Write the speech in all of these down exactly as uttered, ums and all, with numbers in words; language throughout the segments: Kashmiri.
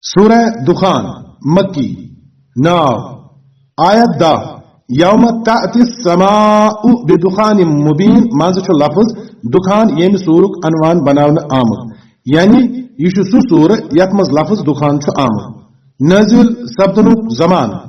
سورہ دخان، مکی، ناو، آیت دہ، یوم تأتی السماء بدخان مبین منٛز چھُ لفظ دخان ییٚمہِ سورُک عنوان بناونہٕ آمُت، یعنی یہِ چھُ سُہ سورٕ یتھ منٛز لفظ دخان چھُ آمُت۔ نٲزِل سپدنُک زمانہٕ۔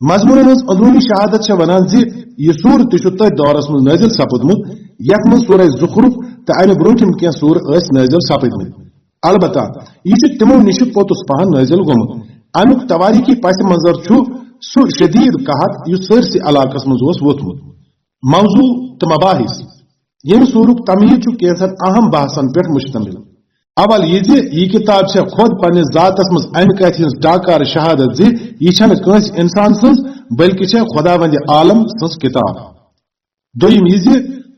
مضموٗنن ہٕنٛز اندروٗنی شہادت چھےٚ ونان زِ یہِ سورٕ تہِ چھُ تٔتھۍ دورس منٛز نٲزِل سپُدمُت، یتھ منٛز سورہ زخرف تہٕ امہِ برونٛٹھِم کینٛہہ سورٕ ٲسۍ نٲزِل سپٕدمٕتۍ۔ البتہ یہِ چھُ تِمو نِش پوٚتُس پہن نٲزِل گوٚمُت۔ امیُک توٲریٖخی پس منظر چھُ سُہ شدیٖد قحط یُس سٲرسٕے علاقس منٛز اوس ووٚتھمُت۔ موضوع تہٕ مباحث۔ ییٚمہِ سورُک تمہیٖد چھُ کینٛژن اہم بحثن پٮ۪ٹھ مشتمل۔ اول یہِ زِ یہِ کتاب چھےٚ خۄد پننِس ذاتس منٛز امہِ کتھِ ہٕنٛز ڈاکار شہادت زِ یہِ چھنہٕ کٲنٛسہِ انسان سٕنٛز، بلکہِ چھےٚ خداوند عالم سٕنٛز کتاب۔ دوٚیِم یہِ زِ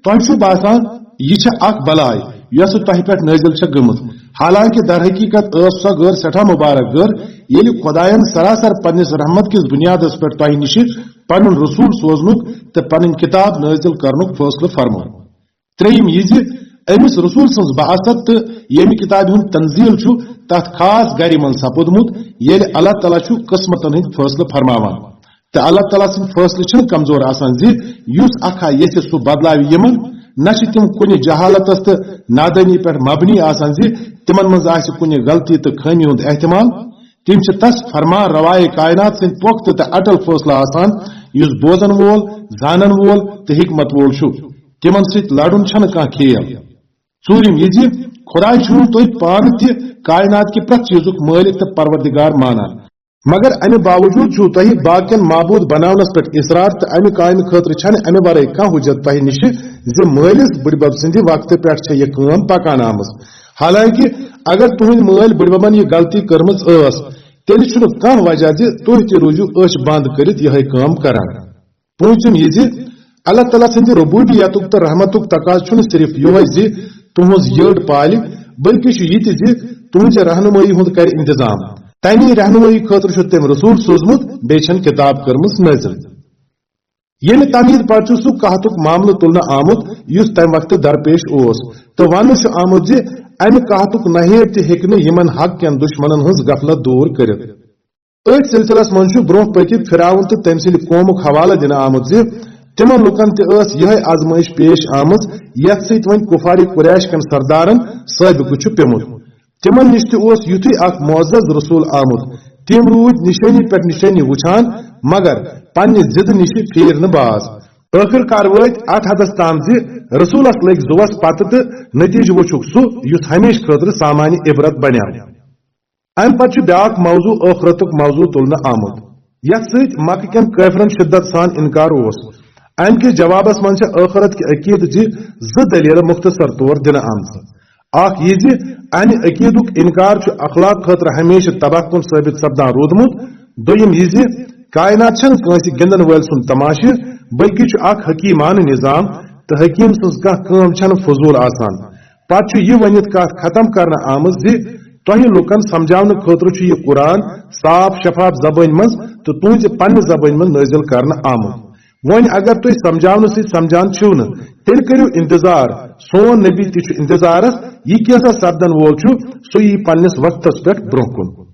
تۄہہِ چھُ باسان یہِ چھےٚ اکھ بلاے یۄسہٕ تۄہہِ پٮ۪ٹھ نٲزِل چھےٚ گٔمٕژ، حالانکہِ در حقیقت ٲس سۄ غٲر سٮ۪ٹھاہ مبارک غٲر، ییٚلہِ خۄدایَن سراسر پننِس رحمت کِس بُنیادس پٮ۪ٹھ تۄہہِ نِشہِ پنُن رسول سوزنُک تہٕ پنٕنۍ کتاب نٲزِل کرنُک فٲصلہٕ فرموو۔ ترٛیٚیِم یہِ زِ أمِس رسول سٕنٛز بعثت تہٕ ییٚمہِ کتابہِ ہُنٛد تنزیل چھُ تتھ خاص گرِ منٛز سپُدمُت، ییٚلہِ اللہ تعالیٰ چھُ قسمتن ہٕنٛدۍ فٲصلہٕ فرماوان۔ تہٕ اللہ تعالیٰ سٕنٛدۍ فٲصلہٕ چھِنہٕ کمزور آسان زِ یُس اکھ ہا یژھِ سُہ بدلاوِ یِمن، نہ چھِ تِم کُنہِ جہالتس تہٕ نادٲنی پٮ۪ٹھ مبنی آسان زِ تِمن منٛز آسہِ کُنہِ غلطی تہٕ خٲمی ہُنٛد احتمال۔ تِم چھِ تس فرمان روائے کائنات سٕنٛدۍ پۄختہٕ تہٕ اٹل فٲصلہٕ آسان، یُس بوزن وول، زانن وول تہٕ حکمت وول چھُ۔ تِمن سۭتۍ لڑُن چھنہٕ کانٛہہ کھیل۔ ژوٗرِم یہِ زِ خۄداے چھُو تُہۍ پانہٕ تہِ کائنات کہِ پرٛٮ۪تھ چیٖزُک مٲلِک تہٕ پروردگار مانان، مگر امہِ باوجوٗد چھُو تۄہہِ باقین معبوٗد بناونس پٮ۪ٹھ اصرار، تہٕ امہِ کامہِ خٲطرٕ چھنہٕ امہِ ورٲے کانٛہہ حجت تۄہہِ نِشہِ زِ مٲلِس بٕڈبب سٕنٛدِ وقتہٕ پٮ۪ٹھ چھےٚ یہِ کٲم پکان آمٕژ۔ حالانکہِ اگر تُہنٛدۍ مٲلۍ بٕڈببن یہِ غلطی کٔرمٕژ ٲس، تیٚلہِ چھُنہٕ کانٛہہ وجہ زِ تُہۍ تہِ روٗزِو أچھ بنٛد کٔرِتھ یِہے کٲم کران۔ پوٗنٛژِم یہِ زِ اللہ تعالیٰ سٕنٛدِ ربوبیتُک تہٕ رحمتُک تقاضہٕ چھُنہٕ صرف یِہوٚے زِ تُہٕنٛز یٔڈ پالہِ، بلکہِ چھُ یہِ تہِ زِ تُہٕنٛزِ رہنمٲیی ہُنٛد کرِ انتظام۔ تَمی رہنمٲیی خٲطرٕ چھُ تٔمۍ رسول سوٗزمُت، بیٚیہِ چھَن کِتاب کٔرمٕژ نٲزِل۔ ییٚمہِ تمہیٖد پتہٕ چھُ سُہ قحطُک معاملہٕ تُلنہٕ آمُت، یُس تَمہِ وقتہٕ درپیش اوس، تہٕ وننہٕ چھُ آمُت زِ اَمہِ قحطُک نہیب تہِ ہیٚکہِ نہٕ یِمن حق کٮ۪ن دُشمنن ہٕنٛز غفلت دوٗر کٔرِتھ۔ أتھۍ سلسلس منٛز چھُ برونٛہہ پٔکِتھ فرعون تہٕ تٔمۍ سٕنٛدِ قومُک حوالہٕ دِنہٕ آمُت زِ تِمن لُکن تہِ ٲس یِہے آزمٲیش پیش آمٕژ، یتھ سۭتۍ وۄنۍ کفار قریش کٮ۪ن سردارن سٲبقہٕ چھُ پیومُت۔ تِمن نِش تہِ اوس یُتھُے اکھ معزز رسول آمُت۔ تِم روٗدۍ نِشٲنی پٮ۪ٹھ نِشٲنی وُچھان، مگر پننہِ ضد نِش پھیٖر نہٕ باز۔ ٲخٕر کار وٲتۍ اتھ حدس تام زِ رسولس لٔگۍ زُوس پتہٕ، تہٕ نتیجہٕ وُچھُکھ سُہ یُس ہمیشہٕ خٲطرٕ سامان عبرت بنیو۔ امہِ پتہٕ چھُ بیاکھ موضوع ٲخرتُک موضوع تُلنہٕ آمُت، یتھ سۭتۍ مکہٕ کٮ۪ن کٲفرن شدت سان انکار اوس۔ امہِ کِس جوابس منٛز چھِ ٲخرت کہِ عقیدٕ چہِ زٕ دٔلیٖلہٕ مختصر طور دِنہٕ آمژٕ۔ اکھ یہِ زِ امہِ عقیدُک انکار چھُ اخلاق خٲطرٕ ہمیشہٕ تباہ کُن ثٲبت سپدان روٗدمُت۔ دوٚیِم یہِ زِ کائنات چھنہٕ کٲنٛسہِ گِنٛدن وٲلۍ سُنٛد تماشہٕ، بلکہِ چھُ اکھ حکیمانہٕ نظام، تہٕ حکیم سٕنٛز کانٛہہ کٲم چھنہٕ فضول آسان۔ پتہٕ چھُ یہِ ؤنِتھ کتھ ختم کرنہٕ آمٕژ زِ تۄہہِ لوٗکن سمجھاونہٕ خٲطرٕ چھُ یہِ قرآن صاف شفاف زبٲنۍ منٛز تہٕ تُہنٛزِ پننہِ زبٲنۍ منٛز نٲزِل کرنہٕ آمُت۔ وۄنۍ اگر تُہۍ سمجھاونہٕ سۭتۍ سمجھان چھِو نہٕ، تیٚلہِ کٔرِو انتظار، سون نبی تہِ چھُ انتظارس، یہِ کینٛژھا سپدن وول چھُ، سُہ یی پننِس وقتس پٮ۪ٹھ برونٛہہ کُن۔